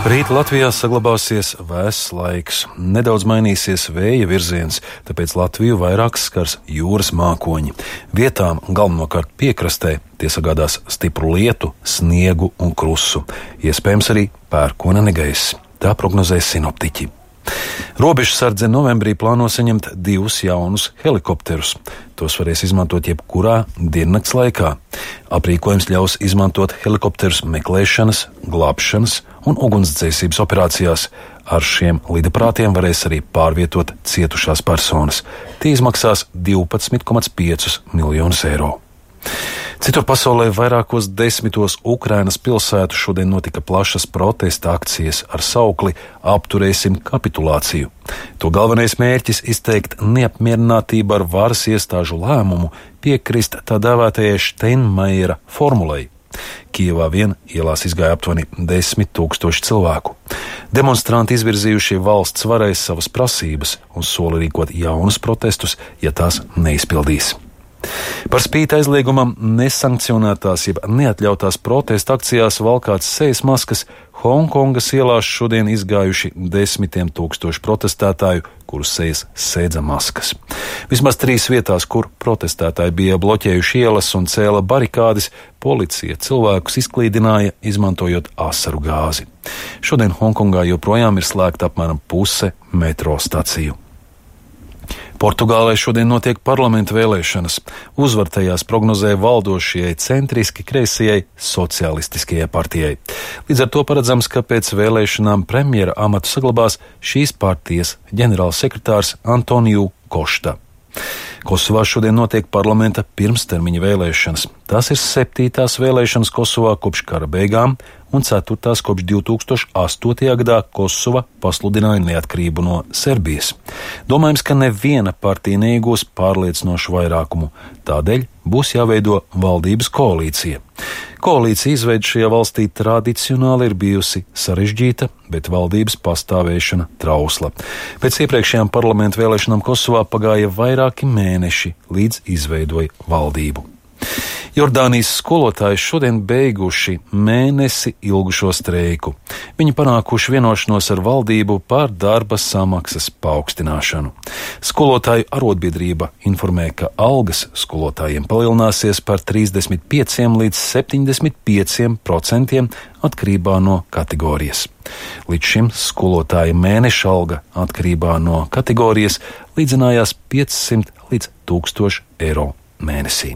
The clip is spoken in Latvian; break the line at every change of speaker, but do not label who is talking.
Rīt Latvijā saglabāsies vēss laiks. Nedaudz mainīsies vēja virziens, tāpēc Latviju vairāk skars jūras mākoņi. Vietām, galvenokārt piekrastē, tie sagādās stipru lietu, sniegu un krusu. Iespējams arī pērkona negaiss. Tā prognozē sinoptiķi. Robežsardze novembrī plāno saņemt 2 jaunus helikopterus. Tos varēs izmantot jebkurā diennakts laikā. Aprīkojums ļaus izmantot helikopterus meklēšanas, glābšanas un ugunsdzēsības operācijās. Ar šiem lidaprātiem varēs arī pārvietot cietušās personas. Tie izmaksās 12,5 miljonus eiro. Citur pasaulē vairākos 10 Ukrainas pilsētu šodien notika plašas protesta akcijas ar saukli "Apturēsim kapitulāciju". To galvenais mērķis izteikt neapmierinātību ar varas iestāžu lēmumu piekrist tā dēvētajai Steinmeiera formulei. Kijevā vien ielās izgāja aptuveni 10 000 cilvēku. Demonstranti izvirzījušie valsts varai savas prasības un sola rīkot jaunus protestus, ja tās neizpildīs. Par spīti aizliegumam nesankcionētās jeb neatļautās protesta akcijās valkāts sejas maskas Hongkongas ielās šodien izgājuši 10 000 protestētāju, kurus sejas sēdza maskas. Vismaz 3 vietās, kur protestētāji bija bloķējuši ielas un cēla barikādes, policija cilvēkus izklīdināja, izmantojot asaru gāzi. Šodien Hongkongā joprojām ir slēgta apmēram puse metro staciju. Portugālē šodien notiek parlamenta vēlēšanas. Uzvar tajās prognozē valdošajai centriski kreisajai socialistiskajai partijai. Līdz ar to paredzams, ka pēc vēlēšanām premjera amatu saglabās šīs partijas ģenerālsekretārs Antoniju Košta. Kosovā šodien notiek parlamenta pirmstermiņa vēlēšanas. Tās ir 7. vēlēšanas Kosovā kopš kara beigām un 4. kopš 2008. gadā Kosova pasludināja neatkarību no Serbijas. Domājams, ka neviena partija neiegūs pārliecinošu vairākumu, tādēļ būs jāveido valdības koalīcija. Koalīcija izveide šajā valstī tradicionāli ir bijusi sarežģīta, bet valdības pastāvēšana trausla. Pēc iepriekšējām parlamentu vēlēšanām Kosovā pagāja vairāki mēneši, līdz izveidoja valdību. Jordānijas skolotāji šodien beiguši mēnesi ilgušo streiku. Viņi panākuši vienošanos ar valdību par darba samaksas paaugstināšanu. Skolotāju arotbiedrība informē, ka algas skolotājiem palielināsies par 35 līdz 75% atkarībā no kategorijas. Līdz šim skolotāja mēneša alga atkarībā no kategorijas līdzinājās 500 līdz 1000 eiro mēnesī.